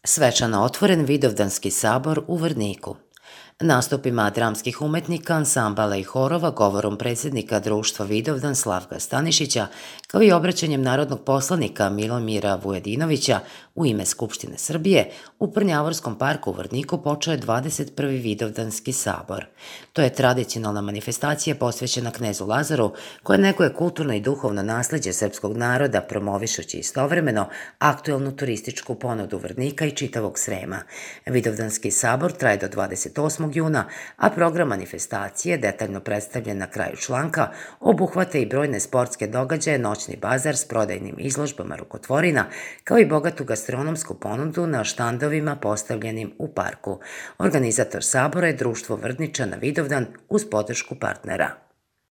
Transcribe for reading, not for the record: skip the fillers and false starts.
Svečano otvoren Vidovdanski sabor u Vrniku. Nastupima dramskih umetnika, ansambala i horova, govorom predsjednika društva Vidovdan Slavka Stanišića, kao i obraćanjem narodnog poslanika Milomira Vujadinovića u ime Skupštine Srbije, u Prnjavorskom parku u Vrniku počeo je 21. Vidovdanski sabor. To je tradicionalna manifestacija posvećena knezu Lazaru, koja neguje kulturno i duhovno nasleđe srpskog naroda, promovišući istovremeno aktuelnu turističku ponudu Vrnika i čitavog Srema. Vidovdanski sabor traje do 28. juna, a program manifestacije, detaljno predstavljen na kraju članka, obuhvata i brojne sportske događaje, noćni bazar s prodajnim izložbama rukotvorina, kao i bogatu gastronomsku ponudu na štandovima postavljenim u parku. Organizator sabora je društvo Vrničana Vidovdan uz podršku partnera.